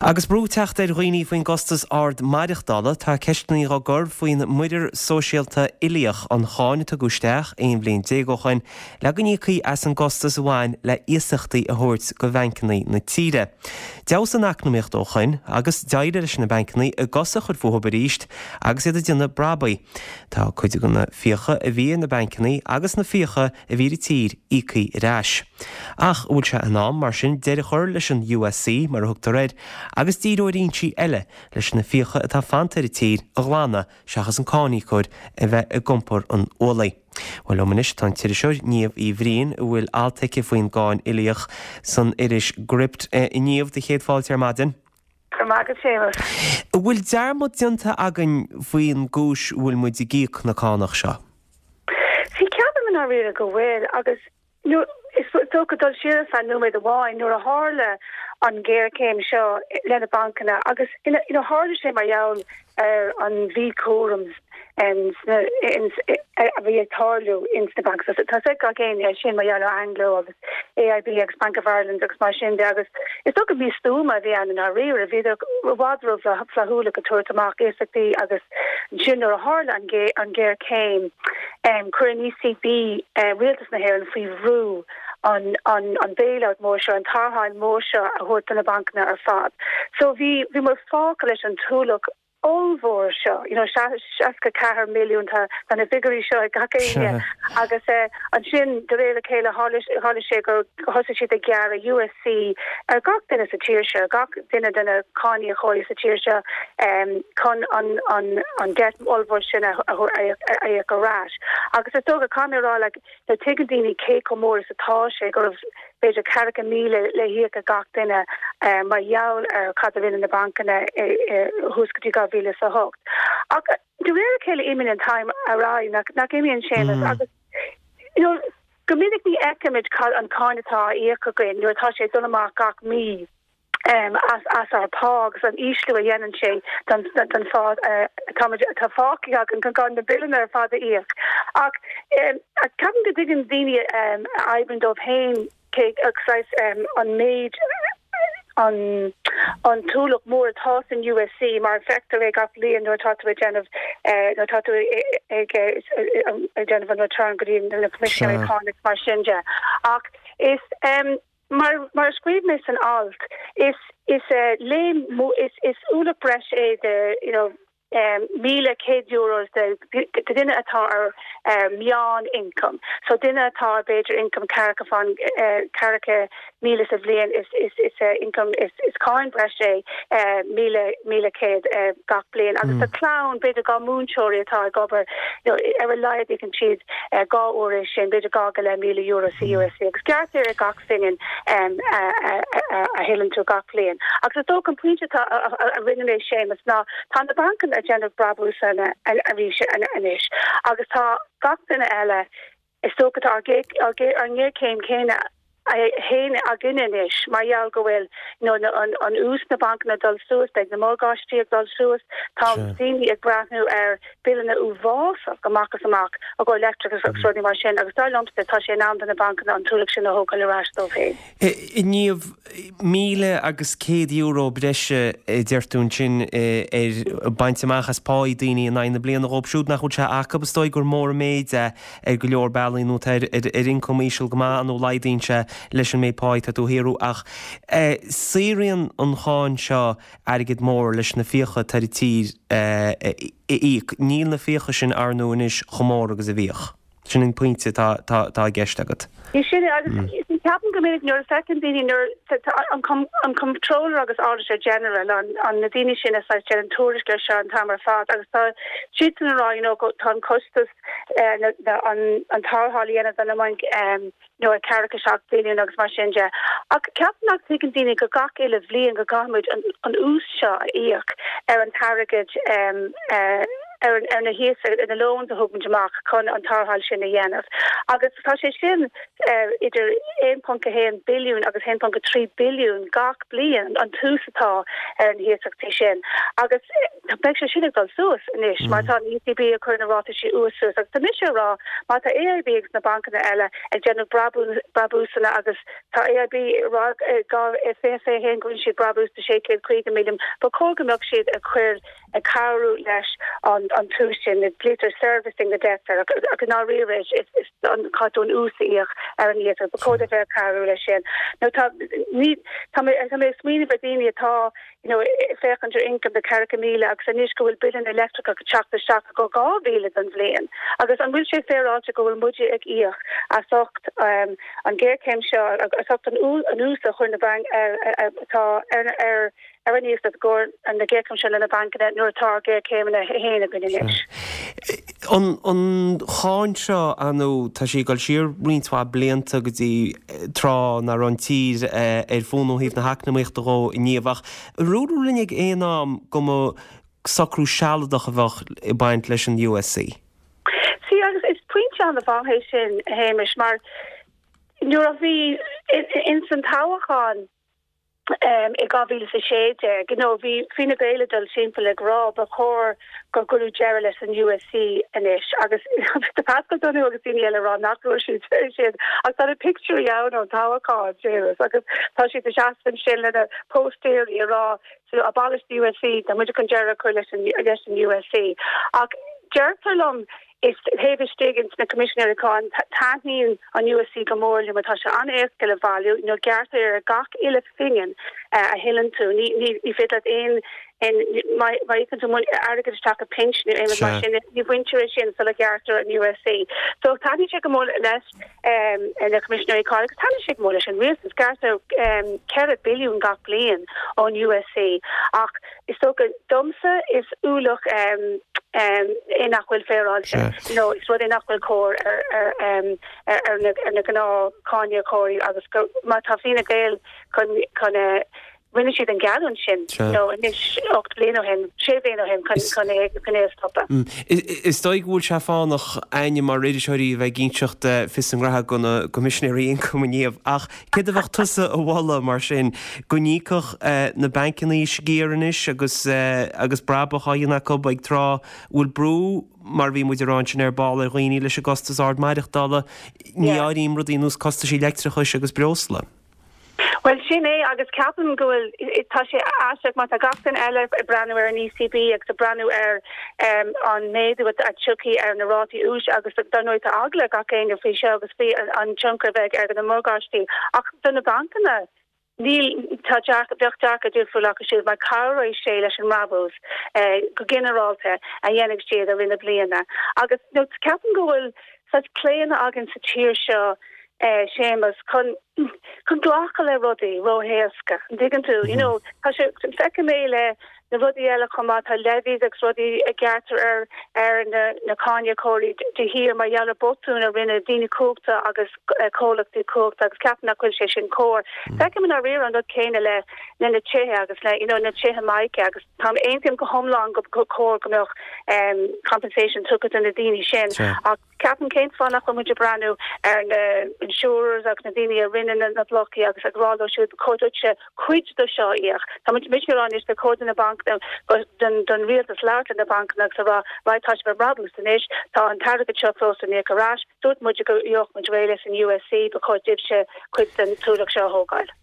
Agus brú ag teacht ar dhaoine faoin gcostas ard maireachtála, tá ceisteanna á gcur faoin muirear sóisialta uilíoch, an cháin a tugadh isteach 11 bhliain ó shoin le go n-íocfaí as an gcostas a bhain le iasachtaí a thabhairt go bhancanna na tíre. D'fheabhsaigh an eacnamaíocht ó shoin agus d'éirigh leis na bancanna a gcosa a chur fúthu arís agus iad ag déanamh brabaigh. Tá cuid de na fiacha a bhí ar na bancanna agus na fiacha a bhí ar an tír íoctha ar ais. Ach an bhfuil sé in am, mar sin, deireadh a chur leis an USC, mar a thugtar air, agus díriú ar fhoinsí eile leis na fiacha atá fanta ar an tír a ghlanadh seachas an cáiníocóir a bheith ag iompar an ualaigh? Bhuel, liom anois tá an t-iriseoir Niamh Uí Bhriain, a bhfuil alt aici faoin gcáin uilíoch san iris Gript. A Niamh, do chéad fáilte ar maidin. Go raibh maith agat, Séamus. An bhfuil dearmad déanta againn faoin gcúis a bhfuil muid ag íoc na cánach seo? See, ceapaim i ndáiríre go bhfuil, agus is dócha dul siar ar feadh nóiméad amháin, nuair a tharla an ghéarchéim seo le na bancanna agus you know tharla sé mar gheall ar an mhíchúram a bhí ag tarlú ins na bancanna. Tá a fhios ag gach éinne é sin mar gheall ar Anglo agus AIB agus Bank of Ireland agus mar sin de agus is dócha místuama a bhí ann i ndáiríre. Bhíodar i bhfad ró-fhlaithiúil ag tabhairt amach iasachtaí agus ansin nuair a tharla an ghéarchéim chuir an ECB rialtas na hÉireann faoi bhrú an an bailout mór seo, an tarrtháil mór seo a thabhairt do na bancanna ar fad. So bhí bhí muid fágtha leis an t-ualach ollmhór seo, you know, 64 milliún, tá tá na figiúirí seo ag gach éinne agus ansin de réir a chéile tharla tharla sé gur thosaigh siad ag gearradh USC ar gach duine sa tír seo, gach duine de na cáiníocóirí sa tír seo chun an an an debt ollmhór sin a a a íoc ar ais. Agus is dócha, caithfidh mé a rá, like, Ní thuigeann daoine cé chomh mór is atá sé, go raibh b'fhéidir ceathracha 1,000 le híoc ag gach duine mar gheall ar cad a rinne na bancanna thuas go dtí 2008. Ach de réir a chéile imíonn an t-am ar aghaidh, nach imíonn, Séamus? Agus you know go minic ní fheicimid cad an cáin atá á íoc againn nuair atá sé ag dul amach gach mí. as ár bpá agus an ísliú a dhéanann sé don phá atá fágtha againn chun na billeanna ar fad a íoc. Ach ceapaim go dtuigeann daoine a oibríonn dóibh féin cé saghas an méid an an t-ualach mór atá san USC mar feictear é gach bliain nuair atá tú ag déanamh nuair atá tú ag déanamh an return go dtí na Coimisinéirí Cánach mar sin de. Ach is Mar mar a scríobh mé san alt, is is léim is is ualach breise é de you know €1,100 de de duine atá ar meán ioncam. So duine atá ar b'fhéidir ioncam ceathracha fán 40,000 sa bhliain is is is ioncam is is cáin breise é 1,100 gach bliain. Agus do chlann b'fhéidir do mhúinteoirí atá ag obair you know ar a laghad íocann siad dhá uair é sin, b'fhéidir €2,500 sa USC agus gearrtar ar gach phingin a thuilleann tú gach bliain. Agus is dócha an pointe atá a rinne mé Séamus ná tá na bancanna ag déanamh brabúsanna arís anois agus tá gach duine eile is dócha tá ár ngéarchéim chéanna féin againne anois mar gheall go bhfuil you know an ús na bancanna ag dul suas, beidh na morgáistí ag dul suas, tá daoine ag breathnú ar billeanna uafásach amach is amach i gcomhair leictreachas agus rudaí mar sin agus dar liomsa tá sé in am do na bancanna an t-ualach sin a thógáil ar ais dóibh féin. A Niamh, €1,100 breise a deir tú ansin ar baint amach as páí daoine in aghaidh na bliana dhóibh siúd nach bhfuil sé acu. Is dóigh gur mór an méid é ar go leor bealaí nó atá ar ioncam íseal go maith nó laghdaíonn sé leis an méid páí atá tú a shaothrú ach saothraíonn an cháin seo airgead mór leis na fiacha atá ar an tír a íoc. Níl na fiacha sin ar ndóigh anois chomh mór agus a bhíodh. Sin an pointe atá i gceist agat. Sin é agus ceapaim go minic nuair a feiceann daoine nuair an Comptroller agus Auditor General an na daoine sin a saghas déanann tuairisc ar seo an t-am ar fad agus tá siadsan ag rá you know tá an costas an tarrtháil a dhéanamh do na bainc nó ag 47 billiún agus mar sin de. Ach ceapaim nach dtuigeann daoine go gach uile bhliain go gcaithfimid an ús seo a íoc ar an t-airgead. ar ar na hiasachtaí, ar na loans a thug muid amach chun an tarrtháil sin a dhéanamh. Agus tá sé sin idir 1.1 billiún agus 1.3 billiún gach bliain an t-ús atá ar na hiasachtaí sin. Agus beidh sé sin ag dul suas anois mar tá an ECB ag cur na rátaí úis suas. Agus tá mise ag rá má tá AIB agus na bancanna eile ag déanamh brabúsanna agus tá AIB ag rá i 2021 go rinne siad brabús de 650 milliún, ba chóir go mbeadh siad ag cur ag cabhrú leis an t-ús sin, glaoitear servicing the debt air, ach i ndáiríre is caithfidh tú an ús a íoc ar an iasacht, ba chóir dóibh bheith ag cabhrú leis sin. Nó tá, ní, tá mé, tá mé ag smaoineamh ar daoine atá, you know, ag féachaint ar income de 4,000 agus anois go bhfuil bille na leictreachais ag teacht isteach go 2,000 don bhliain. Agus an bhfuil sé féaráilte go bhfuil muide ag íoc as ucht an ghéarchéim seo, as ucht an ús a chuir na bainc, atá ar, ar, ar an iasacht i gcomhair na géarchéime seo le na bancanna nuair atá ár géarchéimeanna féin againn anois. An cháin seo, ar ndóigh, tá sí ag dul siar roinnt mhaith blianta go dtí tráth nach raibh an tír ar fónamh ó thaobh na heacnamaíochta dhó inniu. Ach ar dúradh linn ag aon am go mba socrú sealadach a bheadh ag baint leis an USC? Sea, agus is pointe an-mhaith é sin, a Shéamais, mar nuair a bhí ins an toghchán, i 2016, you know, bhí Fine Gael ag dul timpeall ag rá ba chóir go gcuireadh deireadh leis an USC anois agus tá Paschal Donohoe agus daoine eile ag rá nach raibh siad sin ach tá na pictiúirí ann ón toghchán, Séamus, agus tá siad ag seasamh ansin lena póstaeirí ag rá so abolish the USC, tá muid chun deireadh a chur leis an leis an USC. Ach deirtear liom Is taobh istigh ins na Coimisinéirí Cáin, taitníonn an USC go mór leo mar tá sé an-éasca le bhailiú, nó gearrtar ar gach uile phingin a thuilleann tú. Ní ní féidir leat aon aon má má íocann tú airgead isteach i pinsean nó aon rud mar sin, ní bhaintear é sin sula ghearrtar an USC. So taitníonn sé go mór leis na Coimisinéirí Cáin agus taitníonn sé go mór leis an rialtas. Gearrtar 4 billiún gach bliain ón USC ach Is dócha, domsa, is ualach é nach bhfuil féaráilte. You know, is rud é nach bhfuil cóir ar ar ar na gnáth cáiníocóirí agus go má tá Fine Gael chun chun rinne siad an geallúint sin, you know, anois 8 bliain ó shin, 6 bliain ó shin chun chun é chun é a stopadh. Is dóigh go bhfuil sé fánach againne mar iriseoirí a bheith ag inseacht fios a ngraithe do na Coimisinéirí Ioncaim inniu ach Céard a bheadh tusa a mholadh mar sin? Go n-íocfadh na bancanna sciar anois agus agus brabach á dhéanamh acu ag tráth a bhfuil brú, mar a bhí muid ag rá ansin ar ball, ar dhaoine leis an gcostas ard maireachtála? Ní áirím rudaí ar nós costaisí leictreachais agus breosla. Bhuel, sin é agus ceapaim go bhfuil, tá sé aisteach mar tá gach duine eile ag breathnú ar an ECB agus ag breathnú ar an méadú a tiocfaidh ar na rátaí úis agus dar ndóigh tá eagla ag gach éinne faoi seo agus faoi an tionchar a bheidh ar na morgáistí. Ach do na bancanna, níl, tá dearcadh, bheadh dearcadh difriúil acu siúd mar cabhróidh sé leis an mbrabús go ginearálta a dhéanfaidh siad i rith na bliana. Agus you know ceapaim go bhfuil saghas claonadh againn sa tír seo, Séamus, chun, chun glacadh le rudaí ró-éasca, an dtuigeann tú? You know, tá sé, feicim é le na rudaí eile chomh maith, tá levies agus rudaí a ghearrtar ar ar na na cáiníocóirí de shíor mar gheall ar botúin a rinne daoine cumhachta agus comhlachtaí cumhachta agus ceapaim nach bhfuil sé sin cóir. Feicim i ndáiríre an rud céanna le le na tithe agus le you know na tithe mica agus táim aontaím go hiomlán go go cóir go mbeadh compensation tugtha do na daoine sin ach Ceapaim cén fáth nach bhfuil muid ag breathnú ar na insurers agus na daoine a rinne na blocaí agus ag rá leo siúd ba chóir duitse cuid de seo a íoc. Tá muid ag rá anois ba chóir do na bancanna, don rialtas labhairt le na bancanna agus a rá right tá sibh ag brabús anois, tá an t-airgead seo fós le n-íoc ar ais, dúirt muid go gheobhadh muid réidh leis an USC, ba chóir daoibhse cuid den t-ualach seo a thógáil.